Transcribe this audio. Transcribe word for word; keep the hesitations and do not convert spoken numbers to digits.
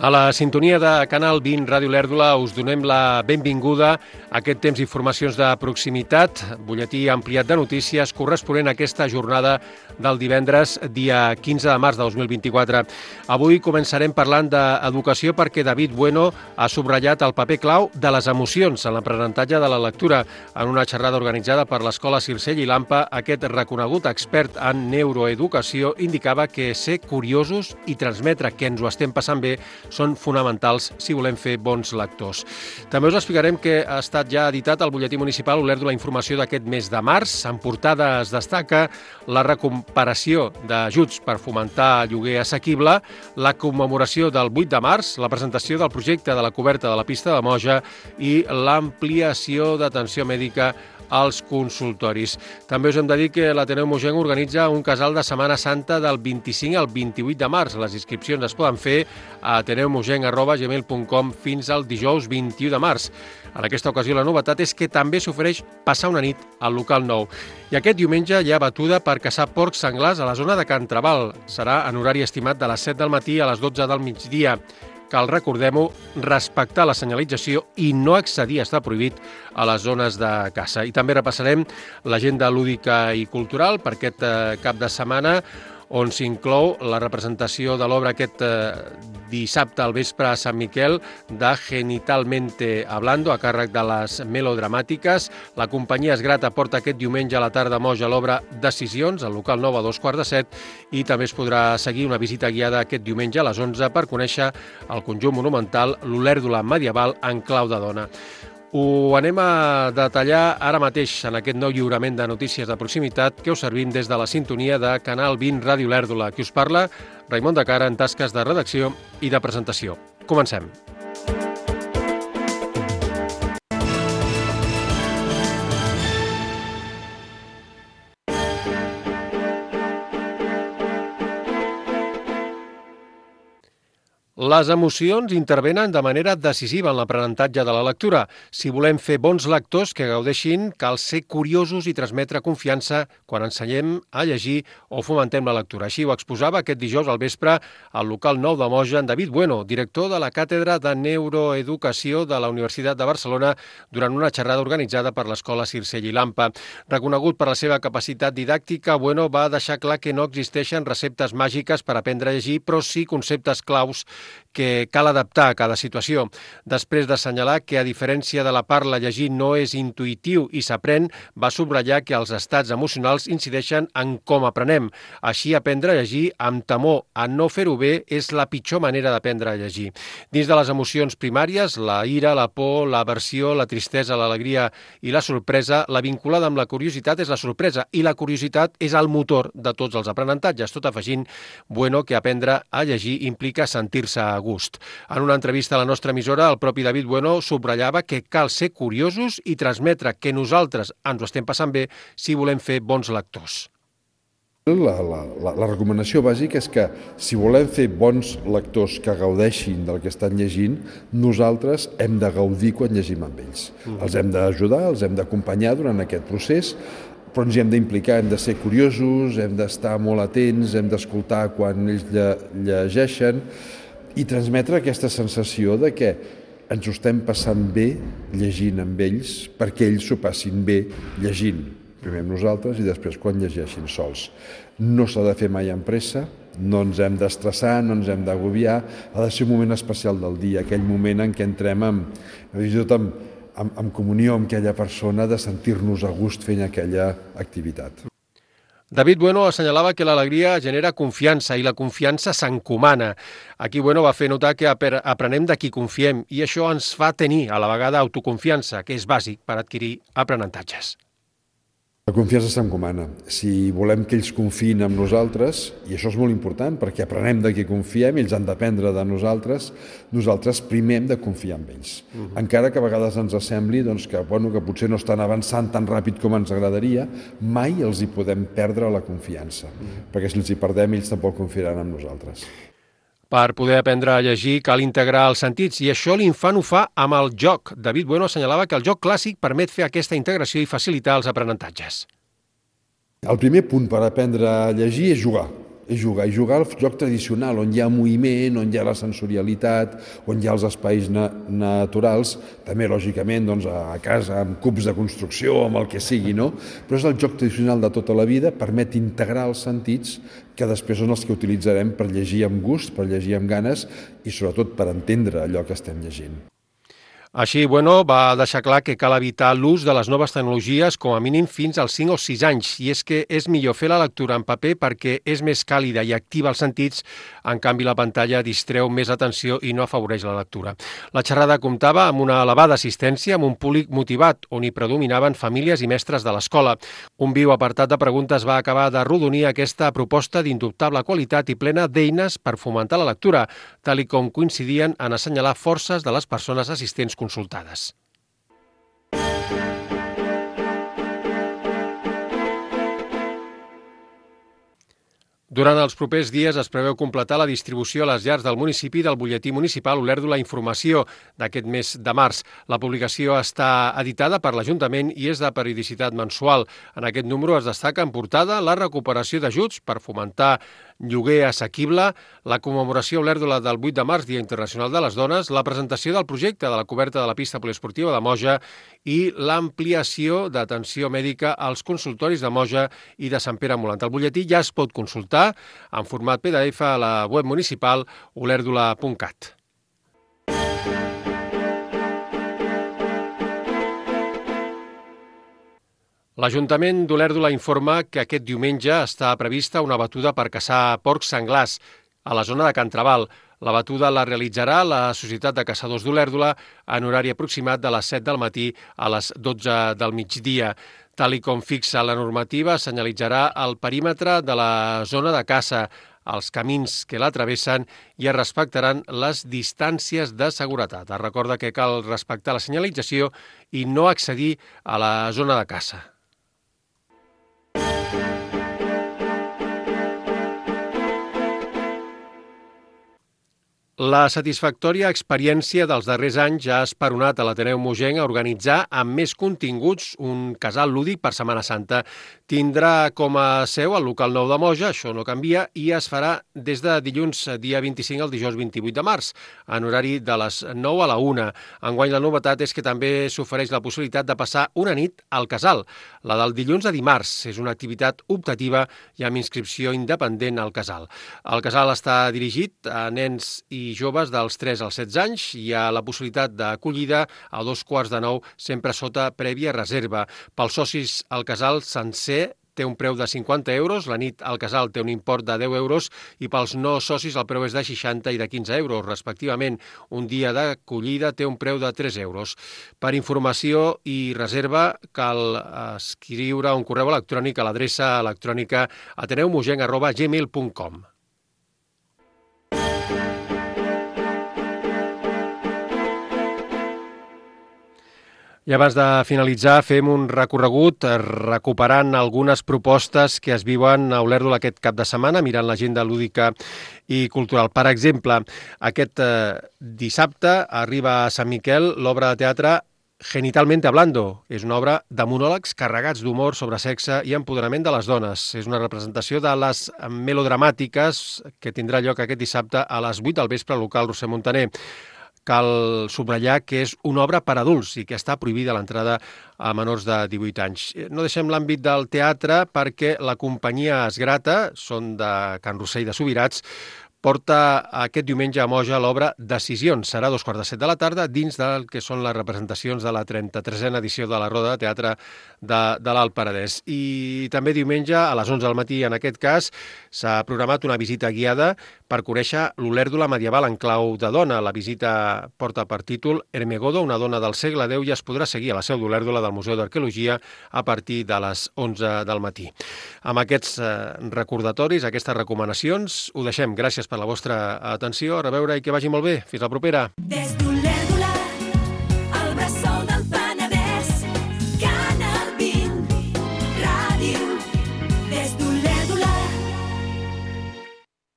A la sintonia de Canal vint Ràdio Lèrdula us donem la benvinguda a aquest temps d'informacions de proximitat, butlletí ampliat de notícies corresponent a aquesta jornada del divendres, dia quinze de març de dos mil vint-i-quatre. Avui començarem parlant d'educació perquè David Bueno ha subratllat el paper clau de les emocions en l'aprenentatge de la lectura. En una xerrada organitzada per l'Escola Circell i l'AMPA, aquest reconegut expert en neuroeducació indicava que ser curiosos i transmetre que ens ho estem passant bé són fonamentals si volem fer bons lectors. També us explicarem que ha estat ja editat al butlletí municipal Olèrdola la informació d'aquest mes de març. En portada es destaca la recomparació d'ajuts per fomentar lloguer assequible, la commemoració del vuit de març, la presentació del projecte de la coberta de la pista de Moja i l'ampliació d'atenció mèdica als consultoris. També us hem de dir que l'Ateneu Mogenc organitza un casal de Setmana Santa del vint-i-cinc al vint-i-vuit de març. Les inscripcions es poden fer a ateneumogenc arroba gmail punt com fins al dijous vint-i-u de març. En aquesta ocasió la novetat és que també s'ofereix passar una nit al local nou. I aquest diumenge hi ha batuda per caçar porcs senglars a la zona de Can Trabal. Serà en horari estimat de les set del matí a les dotze del migdia. Cal, recordem-ho, respectar la senyalització i no accedir està prohibit a les zones de caça. I també repassarem l'agenda lúdica i cultural per aquest cap de setmana, on s'inclou la representació de l'obra aquest dissabte al vespre a Sant Miquel de Genitalmente Hablando, a càrrec de les Melodramàtiques. La companyia Esgrata porta aquest diumenge a la tarda a Moja l'obra Decisions, al local nou a dos quarts de set, i també es podrà seguir una visita guiada aquest diumenge a les onze per conèixer el conjunt monumental L'Olèrdola medieval en clau de dona. Ho anem a detallar ara mateix en aquest nou lliurament de notícies de proximitat que us servim des de la sintonia de Canal vint Ràdio Lèrdula. Qui us parla, Raimon de Cara, en tasques de redacció i de presentació. Comencem. Les emocions intervenen de manera decisiva en l'aprenentatge de la lectura. Si volem fer bons lectors que gaudeixin, cal ser curiosos i transmetre confiança quan ensenyem a llegir o fomentem la lectura. Així ho exposava aquest dijous al vespre al local nou de Moja en David Bueno, director de la Càtedra de Neuroeducació de la Universitat de Barcelona, durant una xerrada organitzada per l'Escola Circell i l'AMPA. Reconegut per la seva capacitat didàctica, Bueno va deixar clar que no existeixen receptes màgiques per aprendre a llegir, però sí conceptes claus que cal adaptar a cada situació. Després d'assenyalar que, a diferència de la parla, llegir no és intuïtiu i s'aprèn, va subratllar que els estats emocionals incideixen en com aprenem. Així, aprendre a llegir amb temor a no fer-ho bé és la pitjor manera d'aprendre a llegir. Dins de les emocions primàries, la ira, la por, l'aversió, la tristesa, l'alegria i la sorpresa, la vinculada amb la curiositat és la sorpresa, i la curiositat és el motor de tots els aprenentatges, tot afegint, Bueno, que aprendre a llegir implica sentir-se a gust. En una entrevista a la nostra emissora, el propi David Bueno subratllava que cal ser curiosos i transmetre que nosaltres ens ho estem passant bé si volem fer bons lectors. La, la, la, la recomanació bàsica és que si volem fer bons lectors que gaudeixin del que estan llegint, nosaltres hem de gaudir quan llegim amb ells. Mm. Els hem d'ajudar, els hem d'acompanyar durant aquest procés, però ens hi hem d'implicar, hem de ser curiosos, hem d'estar molt atents, hem d'escoltar quan ells lle, llegeixen i transmetre aquesta sensació de que ens ho estem passant bé llegint amb ells perquè ells s'ho passin bé llegint. Primer amb nosaltres i després quan llegeixin sols. No s'ha de fer mai amb pressa, no ens hem d'estressar, no ens hem d'agobiar, ha de ser un moment especial del dia, aquell moment en què entrem amb, amb, amb, amb comunió amb aquella persona, de sentir-nos a gust fent aquella activitat. David Bueno assenyalava que l'alegria genera confiança i la confiança s'encomana. Aquí Bueno va fer notar que aprenem de qui confiem i això ens fa tenir a la vegada autoconfiança, que és bàsic per adquirir aprenentatges. La confiança s'encomana. Si volem que ells confiïn en nosaltres, i això és molt important perquè aprenem de qui confiem, ells han d'aprendre de nosaltres, nosaltres primer hem de confiar en ells. Uh -huh. Encara que a vegades ens sembli doncs, que, bueno, que potser no estan avançant tan ràpid com ens agradaria, mai els hi podem perdre la confiança, uh -huh. perquè si els hi perdem ells tampoc confiaran en nosaltres. Per poder aprendre a llegir cal integrar els sentits i això l'infant ho fa amb el joc. David Bueno assenyalava que el joc clàssic permet fer aquesta integració i facilitar els aprenentatges. El primer punt per aprendre a llegir és jugar. és jugar. I jugar al joc tradicional, on hi ha moviment, on hi ha la sensorialitat, on hi ha els espais na naturals, també, lògicament, doncs, a casa, amb cubs de construcció, amb el que sigui, no? Però és el joc tradicional de tota la vida, permet integrar els sentits que després són els que utilitzarem per llegir amb gust, per llegir amb ganes i, sobretot, per entendre allò que estem llegint. Així, bueno, va deixar clar que cal evitar l'ús de les noves tecnologies com a mínim fins als cinc o sis anys, i és que és millor fer la lectura en paper perquè és més càlida i activa els sentits, en canvi la pantalla distreu més l'atenció i no afavoreix la lectura. La xerrada comptava amb una elevada assistència, amb un públic motivat, on hi predominaven famílies i mestres de l'escola. Un viu apartat de preguntes va acabar d'arrodonir aquesta proposta d'indubtable qualitat i plena d'eines per fomentar la lectura, tal i com coincidien en assenyalar forces de les persones assistents consultades. Durant els propers dies es preveu completar la distribució a les llars del municipi del butlletí municipal Olèrdola Informació d'aquest mes de març. La publicació està editada per l'Ajuntament i és de periodicitat mensual. En aquest número es destaca en portada la recuperació d'ajuts per fomentar lloguer assequible, la commemoració a Olèrdola del vuit de març, Dia Internacional de les Dones, la presentació del projecte de la coberta de la pista poliesportiva de Moja i l'ampliació d'atenció mèdica als consultoris de Moja i de Sant Pere Molant. El butlletí ja es pot consultar en format P D F a la web municipal olèrdola punt cat. L'Ajuntament d'Olèrdola informa que aquest diumenge està prevista una batuda per caçar porcs senglars a la zona de Can Trabal. La batuda la realitzarà la Societat de Caçadors d'Olèrdola en horari aproximat de les set del matí a les dotze del migdia. Tal i com fixa la normativa, senyalitzarà el perímetre de la zona de caça, els camins que la travessen i es respectaran les distàncies de seguretat. Es recorda que cal respectar la senyalització i no accedir a la zona de caça. La satisfactòria experiència dels darrers anys ja ha esperonat a l'Ateneu Mogenc a organitzar amb més continguts un casal lúdic per Setmana Santa. Tindrà com a seu el local nou de Moja, això no canvia, i es farà des de dilluns dia vint-i-cinc al dijous vint-i-vuit de març, en horari de les nou a la una. Enguany la novetat és que també s'ofereix la possibilitat de passar una nit al casal. La del dilluns a dimarts és una activitat optativa i amb inscripció independent al casal. El casal està dirigit a nens i joves dels tres als setze anys. Hi ha la possibilitat d'acollida a dos quarts de nou, sempre sota prèvia reserva. Pels socis, el casal sencer té un preu de cinquanta euros, la nit al casal té un import de deu euros i pels no socis el preu és de seixanta i de quinze euros, respectivament. Un dia d'acollida té un preu de tres euros. Per informació i reserva cal escriure un correu electrònic a l'adreça electrònica ateneumogenc arroba gmail punt com. I abans de finalitzar, fem un recorregut recuperant algunes propostes que es viuen a Olèrdola aquest cap de setmana, mirant l'agenda lúdica i cultural. Per exemple, aquest eh, dissabte arriba a Sant Miquel l'obra de teatre Genitalmente Hablando. És una obra de monòlegs carregats d'humor sobre sexe i empoderament de les dones. És una representació de les melodramàtiques que tindrà lloc aquest dissabte a les vuit del vespre al local Roser Montaner. Cal subratllar que és una obra per adults i que està prohibida l'entrada a menors de divuit anys. No deixem l'àmbit del teatre perquè la companyia Esgrata, són de Can Rossell de Subirats, porta aquest diumenge a Moja l'obra Decisions. Serà a dos quarts de set de la tarda dins del que són les representacions de la trenta-tresena edició de la Roda de Teatre de, de l'Alt Penedès. I també diumenge a les onze del matí, en aquest cas, s'ha programat una visita guiada per conèixer l'Olèrdola medieval en clau de dona. La visita porta per títol Hermegodo, una dona del segle deu, i es podrà seguir a la seu d'Olèrdola del Museu d'Arqueologia a partir de les onze del matí. Amb aquests eh, recordatoris, aquestes recomanacions, ho deixem. Gràcies per la vostra atenció. A reveure i que vagi molt bé. Fins la propera. Des d'Olèrdola.